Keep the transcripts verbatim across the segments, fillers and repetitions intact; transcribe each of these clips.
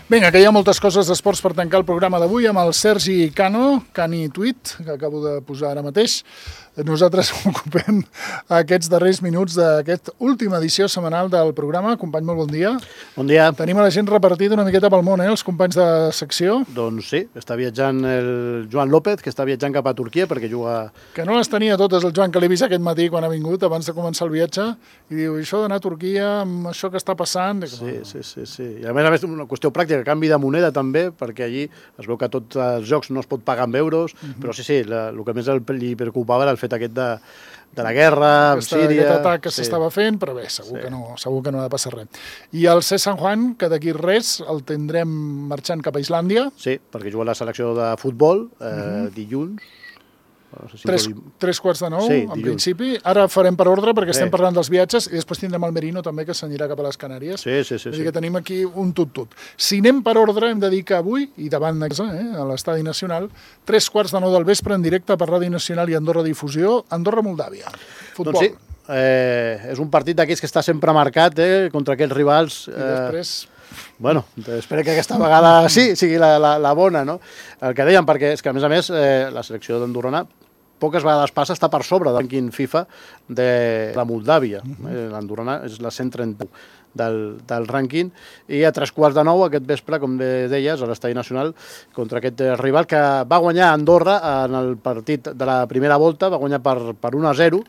Vinga, que hi ha moltes coses d'esports per tancar el programa d'avui amb el Sergi Cano, Cani Tweet, que acabo de posar ara mateix. Nosaltres ocupem aquests darrers minuts d'aquesta última edició setmanal del programa. Company, molt bon dia. Bon dia. Tenim a la gent repartida una miqueta pel món, eh, els companys de secció. Doncs sí, està viatjant el Joan López, que està viatjant cap a Turquia perquè juga... Que no les tenia totes el Joan, que l'he vist aquest matí quan ha vingut, abans de començar el viatge, i diu, això d'anar a Turquia, amb això que està passant... Sí, sí, sí, sí. I a més a més, una qüestió pràctica, canvi de moneda també, perquè allí es veu que tots els jocs no es pot pagar amb euros, uh-huh. però sí, sí, la, el que més el, li preocupava era el fet aquest de, de la guerra, amb Síria... Aquest atac que sí. s'estava fent, però bé, segur, sí. que no, segur que no ha de passar res. I el C. San Juan, que d'aquí res el tindrem marxant cap a Islàndia. Sí, perquè juga a la selecció de futbol eh, uh-huh. dilluns. No sé si tres, dir... tres quarts de nou, sí, en dilluns. Principi. Ara farem per ordre, perquè sí. estem parlant dels viatges, i després tindrem el Merino també, que s'anirà cap a les Canàries. Sí, sí, sí. Vull dir sí. que tenim aquí un tut-tut. Si anem per ordre, hem de dir que avui, i davant de casa, eh, a l'Estadi Nacional, tres quarts de nou del vespre en directe per Ràdio Nacional i Andorra Difusió, Andorra-Moldàvia. Futbol. Doncs sí, eh, és un partit d'aquells que està sempre marcat eh, contra aquells rivals... I eh... després... Bueno, espero que aquesta vegada sí, sigui la, la, la bona, no? El que dèiem, perquè és que, a més a més, eh, la selecció d'Andorrana poques vegades passa està per sobre del rànquing FIFA de la Moldàvia. Uh-huh. eh, L'Andorrana és la cent trenta-u del, del rànquing, i a tres quarts de nou aquest vespre, com deies, a l'Estadi Nacional, contra aquest rival que va guanyar Andorra en el partit de la primera volta, va guanyar per, per un a zero,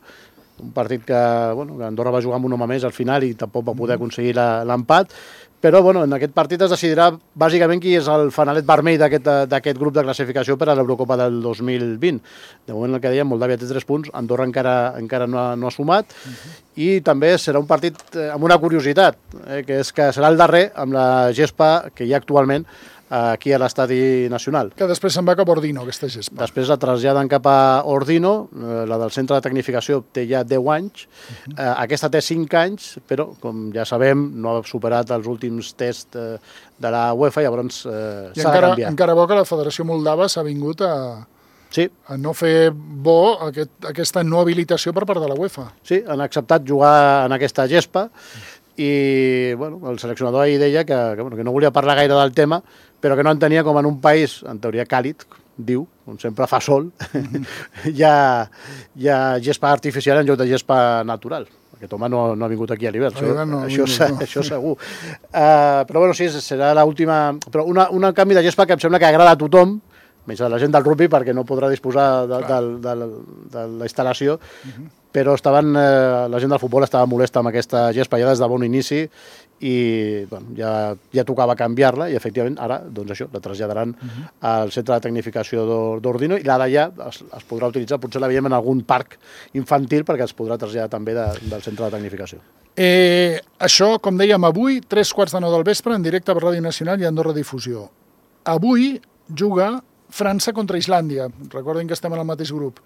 un partit que, bueno, que Andorra va jugar amb un home més al final i tampoc va poder aconseguir l'empat, però bueno, en aquest partit es decidirà bàsicament qui és el fanalet vermell d'aquest grup de classificació per a l'Eurocopa del dos mil vint. De moment, el que dèiem, Moldàvia té tres punts, Andorra encara, encara no, ha, no ha sumat, uh-huh. i també serà un partit amb una curiositat, eh, que és que serà el darrer amb la gespa que hi ha actualment aquí a l'Estadi Nacional. Que després se'n va cap a Ordino, aquesta gespa. Després la traslladen cap a Ordino, la del centre de tecnificació té ja deu anys, uh-huh. eh, aquesta té cinc anys, però, com ja sabem, no ha superat els últims tests eh, de la UEFA, llavors eh, s'ha de canviar. Encara bo que la Federació Moldava s'ha vingut a... Sí. a no fer bo aquest, aquesta no habilitació per part de la UEFA. Sí, han acceptat jugar en aquesta gespa, i bueno, el seleccionador ahir deia que, que, bueno, que no volia parlar gaire del tema, però que no entenia com en un país, en teoria càlid, diu, on sempre fa sol, mm-hmm. hi, ha, hi ha gespa artificial en lloc de gespa natural. Aquest home no, no ha vingut aquí a l'hivern, això, no, això, no, no. això segur. Uh, però bueno, sí, serà l'última... Però una, una canvi de gespa que em sembla que agrada a tothom, menys a la gent del rugby, perquè no podrà disposar de, de, de, de, de la instal·lació, uh-huh. però estaven, eh, la gent del futbol estava molesta amb aquesta gespa ja des de bon inici, i bueno, ja, ja tocava canviar-la, i efectivament ara doncs això, la traslladaran uh-huh. al centre de tecnificació d'Ordino, i la d'allà es, es podrà utilitzar, potser la veiem en algun parc infantil, perquè es podrà traslladar també de, del centre de tecnificació. Eh, això, com dèiem, avui, tres quarts de nou del vespre, en directe per Ràdio Nacional i Andorra Difusió. Avui juga França contra Islàndia. Recordin que estem en el mateix grup.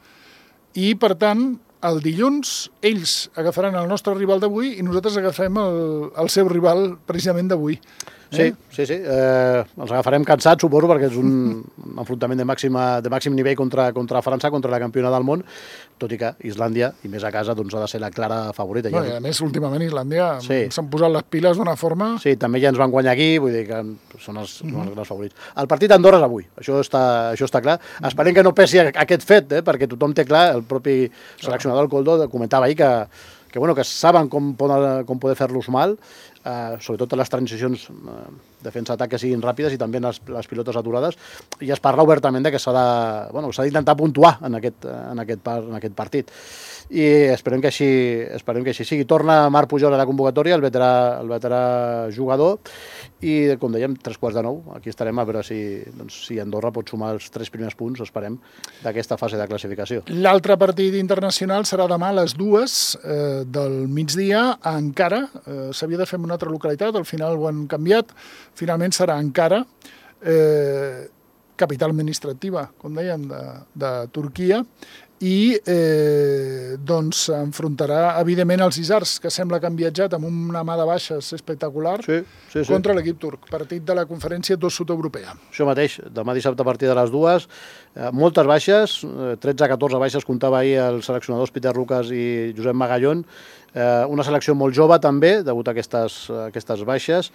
I, per tant, el dilluns ells agafaran el nostre rival d'avui i nosaltres agafarem el, el seu rival precisament d'avui. Sí, eh? sí, sí. Eh, els agafarem cansats, suposo, perquè és un enfrontament de, màxima, de màxim nivell contra, contra França, contra la campiona del món, tot i que Islàndia, i més a casa, doncs ha de ser la clara favorita. No, ja. I a més, últimament Islàndia sí. s'han posat les piles d'una forma... Sí, també ja ens van guanyar aquí, vull dir que són els, mm-hmm. són els grans favorits. El partit d'Andorra és avui, això està, això està clar. Mm-hmm. Esperem que no pesi aquest fet, eh, perquè tothom té clar, el propi seleccionador, el Coldo, comentava ahir que que, bueno, que saben com poder, com poder fer-los mal, eh, sobretot les transicions eh, defensa-atac que siguin ràpides i també les, les pilotes aturades, i es parla obertament de que s'ha de, bueno, s'ha d'intentar puntuar en aquest, en, aquest par, en aquest partit. I esperem que així, esperem que així sigui. Torna Marc Pujol a la convocatòria, el veterà, el veterà jugador, i, com dèiem, tres quarts de nou. Aquí estarem a veure si, doncs, si Andorra pot sumar els tres primers punts, esperem, d'aquesta fase de classificació. L'altre partit internacional serà demà a les dues eh, del migdia a Ankara. Eh, S'havia de fer en una altra localitat, al final ho han canviat. Finalment serà Ankara, eh, capital administrativa, com dèiem, de, de Turquia. i eh, doncs enfrontarà evidentment els Isars, que sembla que han viatjat amb una mà de baixes espectacular, sí, sí, sí. contra l'equip turc, partit de la conferència dos sud-europea. Això mateix, demà dissabte a partir de les dues, eh, moltes baixes, eh, tretze a catorze baixes comptava ahir els seleccionadors Peter Lucas i Josep Magallón, eh, una selecció molt jove també, degut a aquestes, a aquestes baixes,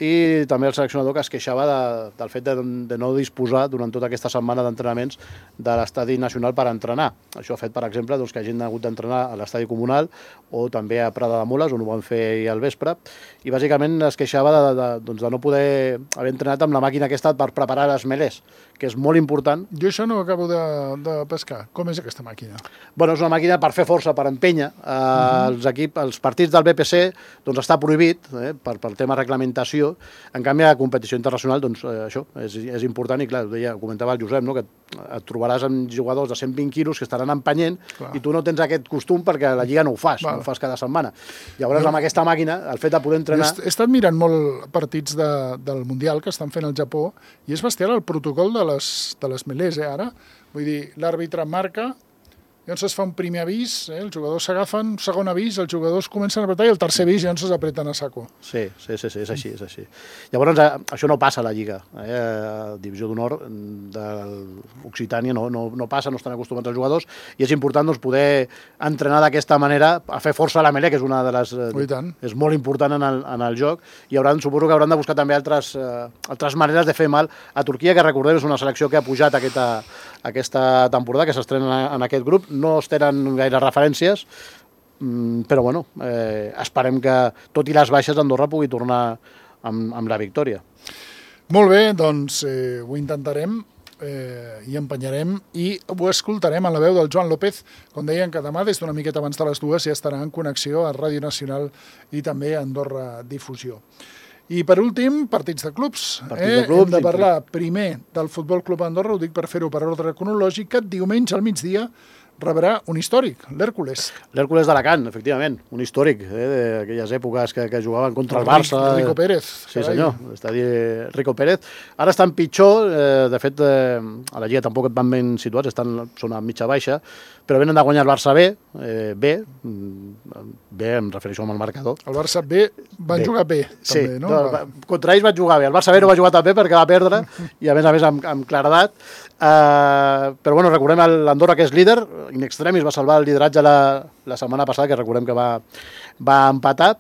i també el seleccionador que es queixava de, del fet de, de no disposar durant tota aquesta setmana d'entrenaments de l'estadi nacional per entrenar. Això ha fet, per exemple, doncs, que hagin hagut d'entrenar a l'estadi comunal o també a Prada de Moles, on ho van fer ahir al vespre, i bàsicament es queixava de, de, doncs, de no poder haver entrenat amb la màquina aquesta per preparar les melés, que és molt important. Jo això no ho acabo de, de pescar. Com és aquesta màquina? Bueno, és una màquina per fer força, per empènyer. Eh, uh-huh. els, equip, els partits del B P C doncs, està prohibit eh, per, per tema reglamentació. En canvi, a competició internacional, doncs, eh, això és, és important i, clar, ho deia, ho comentava el Josep, no? Que et trobaràs amb jugadors de cent vint quilos que estaran empenyent clar. I tu no tens aquest costum perquè a la Lliga no ho fas, Val. no ho fas cada setmana. Llavors, no. amb aquesta màquina, el fet de poder entrenar... He estat mirant molt partits de, del Mundial que estan fent al Japó i és bestial el protocol de les, de les melés, eh, ara. Vull dir, l'àrbitre marca, llavors es fa un primer avís, eh, els jugadors s'agafen, un segon avís, els jugadors comencen a apretar i el tercer avís llavors s'apreten a saco. Sí, sí, sí, sí, és així, és així. Llavors, això no passa a la Lliga. Eh? A Divisió d'Honor de l'Occitània no, no, no passa, no estan acostumats els jugadors, i és important doncs, poder entrenar d'aquesta manera, a fer força a la melé, que és una de les... Oh, és molt important en el, en el joc, i hauran, suposo que hauran de buscar també altres, eh, altres maneres de fer mal a Turquia, que recordem és una selecció que ha pujat aquesta, aquesta temporada, que s'estrena en aquest grup. No es tenen gaire referències, però bueno, eh, esperem que, tot i les baixes, Andorra pugui tornar amb, amb la victòria. Molt bé, doncs eh, ho intentarem eh, i empenyarem i ho escoltarem en la veu del Joan López, com deien que demà, des d'una miqueta abans de les dues, ja estarà en connexió a Ràdio Nacional i també a Andorra Difusió. I per últim, partits de clubs. Partits eh? de clubs. Hem de parlar primer del Futbol Club Andorra, ho dic per fer-ho per ordre cronològic, que diumenge al migdia rebrà un històric, l'Hèrcules. L'Hèrcules d'Alacant, efectivament, un històric eh, d'aquelles èpoques que, que jugaven contra el, el Barça. Rico Pérez. Sí, carai. Senyor, està dient Rico Pérez. Ara estan pitjor, eh, de fet, eh, a la Lliga tampoc et van ben situats, estan, són a mitja baixa, però venen de guanyar el Barça B, eh, B, B em refereixo amb el marcador. El Barça B van B. jugar B, sí, també, no? no? Contra ells van jugar bé, el Barça B no va jugar tan bé perquè va perdre, i a més a més amb, amb claredat. Uh, però bueno, recordem l'Andorra, que és líder, in extremis va salvar el lideratge la, la setmana passada, que recordem que va, va empatar,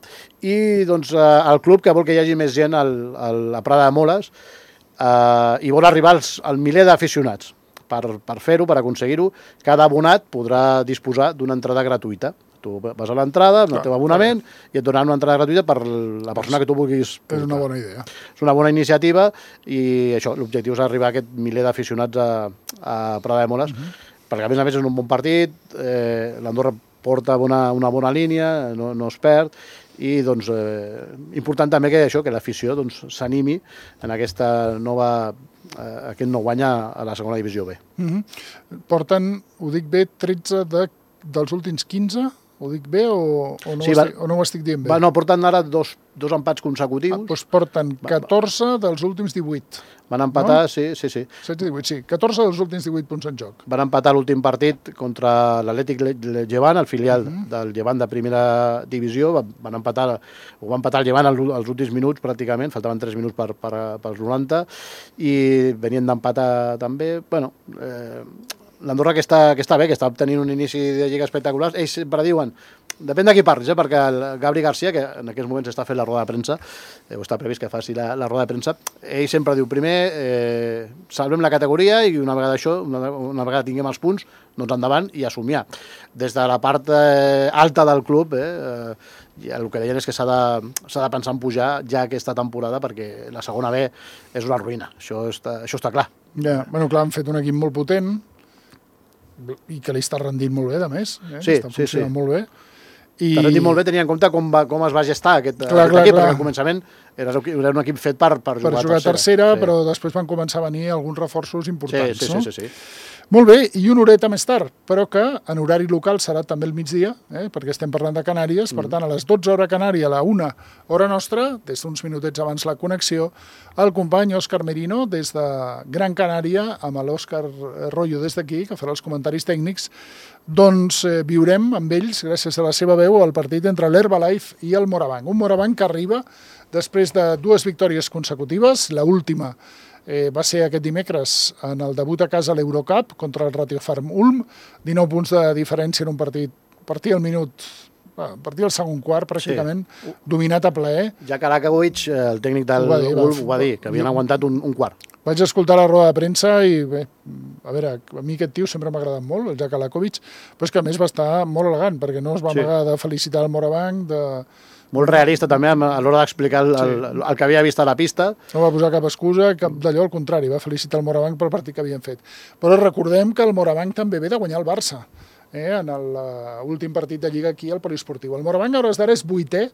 i doncs uh, el club que vol que hi hagi més gent al, al, a Prada de Moles uh, i vol arribar als, al miler d'aficionats. Per, per fer-ho, per aconseguir-ho, cada abonat podrà disposar d'una entrada gratuïta. Tu vas a l'entrada, amb el teu abonament, i et donaran una entrada gratuïta per la persona que tu vulguis portar. És una bona idea. És una bona iniciativa, i això, l'objectiu és arribar a aquest miler d'aficionats a, a Prada de Moles, uh-huh. perquè a més a més és un bon partit, eh, l'Andorra porta una, una bona línia, no, no es perd, i doncs eh, important també que això, que l'afició doncs, s'animi en aquesta nova, eh, aquest nou guany a la segona divisió B. Uh-huh. Porten, ho dic bé, tretze de, dels últims quinze? Ho dic bé o, o, no, sí, ho va, estic, o no ho estic dient bé? Va, no, porten ara dos, dos empats consecutius. Ah, doncs porten catorze dels últims divuit. Van empatar, no? sí, sí, sí. setze divuit, sí. catorze dels últims divuit punts en joc. Van empatar l'últim partit contra l'Atlètic Llevant, el filial uh-huh. del Llevant de primera divisió. Van empatar, ho van empatar el Llevant als últims minuts, pràcticament. Faltaven tres minuts per, per, pels noranta. I venien d'empatar també. Bueno, eh, l'Andorra que està, que està bé, que està obtenint un inici de lliga espectacular. Ells sempre diuen, depèn de qui parlis, eh, perquè el Gabri Garcia, que en aquests moments està fent la roda de premsa, eh, o està previst que faci la, la roda de premsa, ell sempre diu, primer, eh, salvem la categoria i una vegada això, una, una vegada tinguem els punts, doncs endavant i assumiar. Des de la part eh, alta del club, eh, eh, el que deien és que s'ha de, s'ha de pensar en pujar ja aquesta temporada, perquè la segona B és una ruïna, això està, això està clar. Ja, bueno, clar, han fet un equip molt potent, i que li està rendint molt bé, de més. Eh? Sí, està sí, sí. molt bé. I... Està rendint molt bé, tenint en compte com, va, com es va gestar aquest, clar, aquest clar, equip, clar. perquè al començament era, era un equip fet per, per jugar, per jugar a tercera, tercera sí. Però després van començar a venir alguns reforços importants. Sí, sí, no? sí, sí, sí. Molt bé, i una horeta més tard, però que en horari local serà també el migdia, eh, perquè estem parlant de Canàries, per tant, a les dotze hora Canària, a la una hora nostra, des d'uns minutets abans la connexió, el company Òscar Merino, des de Gran Canària, amb l'Òscar Royo des d'aquí, que farà els comentaris tècnics, doncs eh, viurem amb ells, gràcies a la seva veu, el partit entre l'Herbalife i el Morabanc. Un Morabanc que arriba després de dues victòries consecutives, la última Eh, va ser aquest dimecres en el debut a casa a l'Eurocup contra el Ratiofarm Ulm, dinou punts de diferència en un partit, partir al minut, a partir del segon quart pràcticament, sí. Dominat a plaer. Ja Kalakavic, el tècnic del Ulm, ho va dir, que havien aguantat un, un quart. Vaig escoltar la roda de premsa i bé, a veure, a mi aquest tio sempre m'ha agradat molt, el Jack Kalakavic, però és que a més va estar molt elegant, perquè no es va amagar sí. de felicitar el Morabanc, de... Molt realista també a l'hora d'explicar el, el, el, el que havia vist a la pista. No va posar cap excusa, cap d'allò, al contrari, va felicitar el Morabanc pel partit que havien fet. Però recordem que el Morabanc també ve de guanyar el Barça, eh, en l'últim partit de Lliga aquí al Poliesportiu. El Morabanc a hores d'ara és vuitè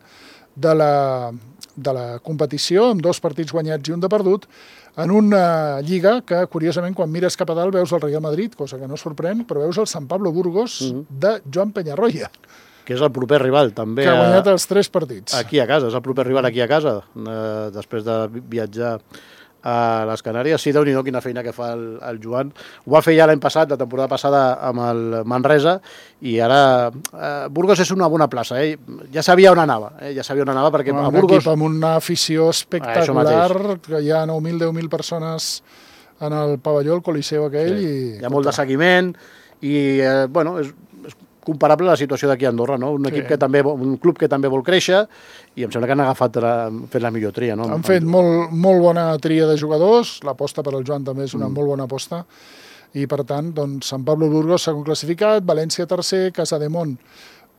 de la, de la competició, amb dos partits guanyats i un de perdut, en una Lliga que, curiosament, quan mires cap a dalt veus el Real Madrid, cosa que no sorprèn, però veus el Sant Pablo Burgos mm-hmm. de Joan Peñarroya, que és el proper rival, també. Que ha guanyat els tres partits. Aquí a casa, és el proper rival aquí a casa, eh, després de viatjar a les Canàries. Sí, Déu-n'hi-do, quina feina que fa el, el Joan. Ho va fer ja l'any passat, la temporada passada, amb el Manresa, i ara eh, Burgos és una bona plaça. Eh? Ja sabia on anava, eh? ja sabia on anava, perquè un a Burgos... equip amb una afició espectacular, que hi ha nou mil, deu mil persones en el pavelló, el Coliseu aquell. Sí. I... Hi ha molt de seguiment, i, eh, bueno, és... comparable a la situació d'aquí a Andorra, no? Un, equip sí. que també, un club que també vol créixer i em sembla que han agafat la, fet la millor tria. No? Han fet molt, molt bona tria de jugadors, l'aposta per al Joan també és una mm. molt bona aposta i per tant, doncs, Sant Pablo Burgos segon classificat, València tercer, Casademont,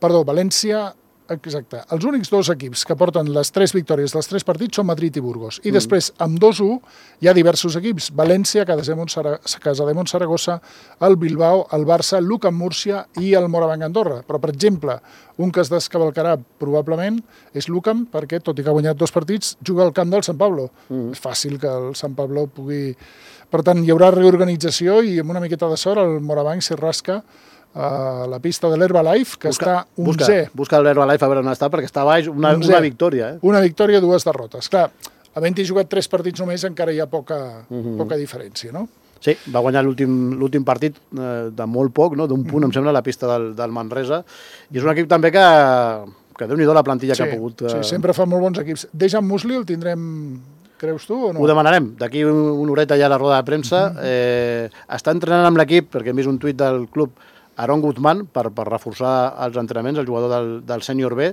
perdó, València, exacte, els únics dos equips que porten les tres victòries dels tres partits són Madrid i Burgos i mm. després amb dos u hi ha diversos equips, València, Casademont, Casademont Saragossa, el Bilbao, el Barça, l'U C A M Múrcia i el Morabanc Andorra, però per exemple un que es descavalcarà probablement és l'U C A M perquè tot i que ha guanyat dos partits juga al camp del Sant Pablo, mm. és fàcil que el Sant Pablo pugui, per tant hi haurà reorganització i amb una miqueta de sort el Morabanc s'hi rasca a la pista de l'Herbalife, que busca, està onzè. Busca, busca l'Herbalife a veure on està, perquè està baix una, una victòria. Eh? Una victòria, dues derrotes. Clar, havent-hi jugat tres partits només encara hi ha poca, uh-huh. poca diferència, no? Sí, va guanyar l'últim partit eh, de molt poc, no? D'un punt, uh-huh. em sembla, a la pista del, del Manresa. I és un equip també que, que Déu-n'hi-do la plantilla sí, que ha pogut... Eh... Sí, sempre fa molt bons equips. Dejan Musli el tindrem... Creus tu o no? Ho demanarem. D'aquí una horeta ja a la roda de premsa. Uh-huh. eh, està entrenant amb l'equip, perquè hem vist un tuit del club Aaron Guzmán, per, per reforçar els entrenaments, el jugador del, del sènior B.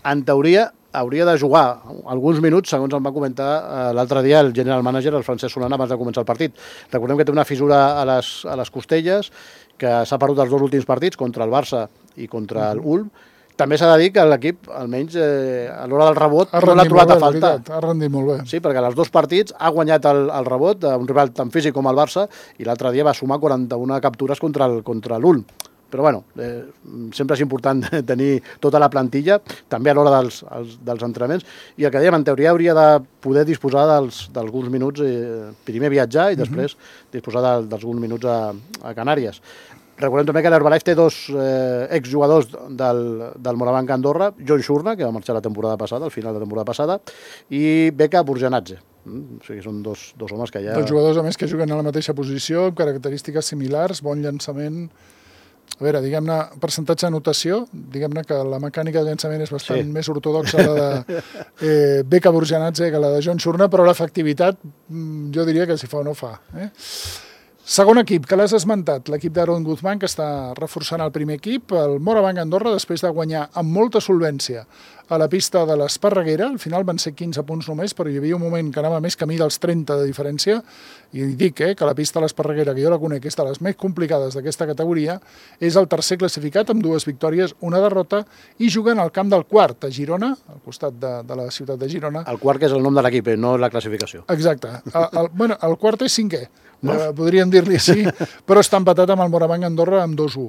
En teoria, hauria de jugar alguns minuts, segons em va comentar eh, l'altre dia el general manager, el Francesc Solana, abans de començar el partit. Recordem que té una fissura a les, a les costelles, que s'ha perdut els dos últims partits, contra el Barça i contra el Ulm. També s'ha de dir que l'equip, almenys eh, a l'hora del rebot, no l'ha trobat a faltar. Ha rendit molt bé. Sí, perquè als dos partits ha guanyat el, el rebot, un rival tan físic com el Barça, i l'altre dia va sumar quaranta-una captures contra el, contra l'Ulm. Però bueno, eh, sempre és important tenir tota la plantilla, també a l'hora dels, els, dels entrenaments, i el que dèiem, en teoria hauria de poder disposar d'alguns minuts, eh, primer viatjar i després uh-huh. disposar d'alguns minuts a, a Canàries. Recordem també que l'Herbalife té dos eh, exjugadors del, del Morabanc Andorra, John Shurna, que va marxar la temporada passada, al final de la temporada passada, i Beka Burjanadze. Mm, o sigui, són dos, dos homes que ja... Dos jugadors, a més, que juguen a la mateixa posició, amb característiques similars, bon llançament... A veure, diguem-ne, percentatge de notació, diguem-ne que la mecànica de llançament és bastant sí. més ortodoxa la de eh, Beka Burjanadze que la de John Shurna, però l'efectivitat jo diria que si fa o no fa. Eh? Segon equip, que l'has esmentat, l'equip d'Aaron Guzmán, que està reforçant el primer equip, el Morabanc Andorra, després de guanyar amb molta solvència a la pista de l'Esparreguera, al final van ser quinze punts només, però hi havia un moment que anava més camí dels trenta de diferència, i dic eh, que la pista de l'Esparreguera, que jo la conec, és de les més complicades d'aquesta categoria, és el tercer classificat amb dues victòries, una derrota, i juguen al camp del quart, a Girona, al costat de, de la ciutat de Girona. El quart que és el nom de l'equip, eh, no la classificació. Exacte. El, el, bueno, el quart és cinquè. Uh, podríem dir-li sí, però està empatat amb el Morabanc Andorra amb dos u.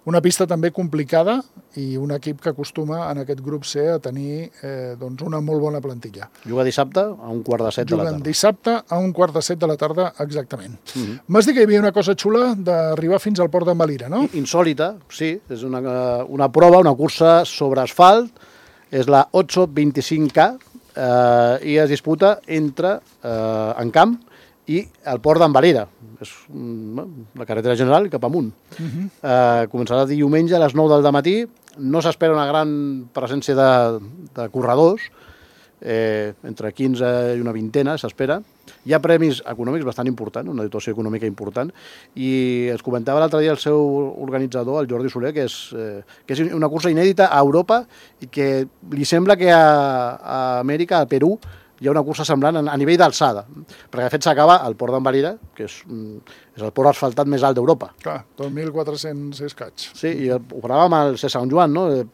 Una pista també complicada i un equip que acostuma en aquest grup C a tenir tenir eh, doncs una molt bona plantilla. Juga dissabte a un quart de set de la tarda. Juguen dissabte a un quart de set de la tarda, exactament. Uh -huh. M'has dit que hi havia una cosa xula d'arribar fins al port d'en Valira, no? Insòlita, sí. És una, una prova, una cursa sobre asfalt. És la ocho veinticinc K eh, i es disputa entre eh, Encamp i el port d'en Valira. És la carretera general cap amunt. Uh -huh. eh, començarà diumenge a les nou del matí. No s'espera una gran presència de, de corredors, eh, entre quinze i una vintena s'espera. Hi ha premis econòmics bastant importants, una dotació econòmica important, i es comentava l'altre dia el seu organitzador, el Jordi Soler, que és, eh, que és una cursa inèdita a Europa i que li sembla que a, a Amèrica, a Perú, hi ha una cursa semblant a nivell d'alçada, perquè de fet s'acaba al port d'en Valira, que és, és el port asfaltat més alt d'Europa. Clar, dos mil quatre-cents escaig. Sí, i ho parlàvem al C Sant Joan, no?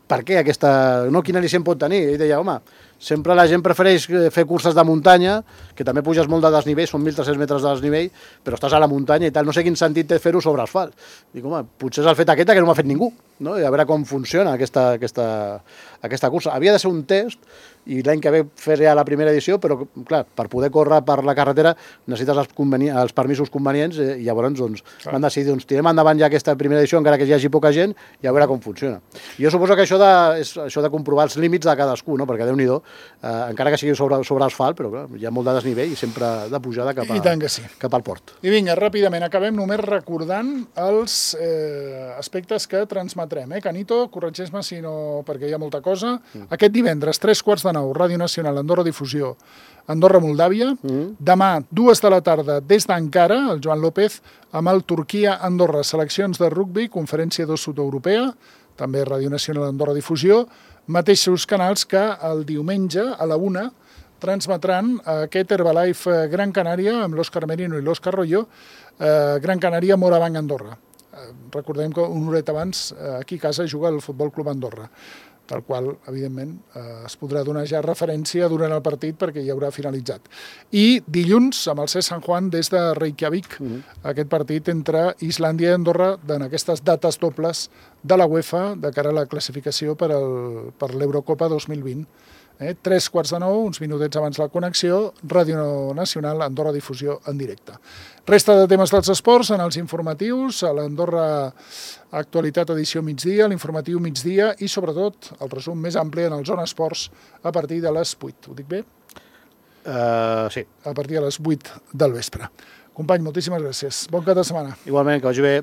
Per què aquesta... No, quina al·licient pot tenir? Ell deia, home, sempre la gent prefereix fer curses de muntanya, que també puges molt de desnivell, són mil tres-cents metres de desnivell, però estàs a la muntanya i tal, no sé quin sentit té fer-ho sobre asfalt. Dic, home, potser és el fet aquest que no m'ha fet ningú, no? I a veure com funciona aquesta, aquesta, aquesta cursa. Havia de ser un test, i l'any que ve fer ja la primera edició, però, clar, per poder córrer per la carretera necessites els, els permisos convenients eh, i llavors doncs, van decidir, doncs, tirem endavant ja aquesta primera edició, encara que hi hagi poca gent, i a veure com funciona. I jo suposo que això de, és això de comprovar els límits de cadascú, no? Perquè Déu-n'hi-do, eh, encara que sigui sobre, sobre asfalt, però clar, hi ha molt de desnivell i sempre de pujada cap, a, I tant que sí. cap al port. I vinga, ràpidament, acabem només recordant els eh, aspectes que transmetrem. Eh? Canito, corregeix-me si no, perquè hi ha molta cosa. Mm. Aquest divendres, tres quarts de nou, Ràdio Nacional, Andorra Difusió, Andorra, Moldàvia. Mm. Demà, dues de la tarda, des d'Ankara, el Joan López, amb el Turquia-Andorra, seleccions de rugbi, conferència dos sud-europea, també Ràdio Nacional, Andorra Difusió, mateixos canals que el diumenge a la una transmetran aquest Herbalife Gran Canària amb l'Òscar Merino i l'Òscar Royo, eh, Gran Canària Morabanc Andorra. Eh, recordem que una horeta abans eh, aquí a casa juga el Futbol Club Andorra, del qual, evidentment, eh, es podrà donar ja referència durant el partit perquè ja haurà finalitzat. I dilluns, amb el C San Juan, des de Reykjavik, mm-hmm. aquest partit entre Islàndia i Andorra, en aquestes dates dobles de la UEFA, de cara a la classificació per, el, per l'Eurocopa dos mil vint. Eh? Tres quarts de nou, uns minutets abans la connexió, Ràdio Nacional, Andorra Difusió en directe. Resta de temes dels esports en els informatius, a l'Andorra Actualitat edició migdia, l'informatiu migdia i, sobretot, el resum més ampli en el Zona Esports a partir de les vuit. Ho dic bé? Uh, sí. A partir de les vuit del vespre. Company, moltíssimes gràcies. Bon cap de setmana. Igualment, que vagi bé.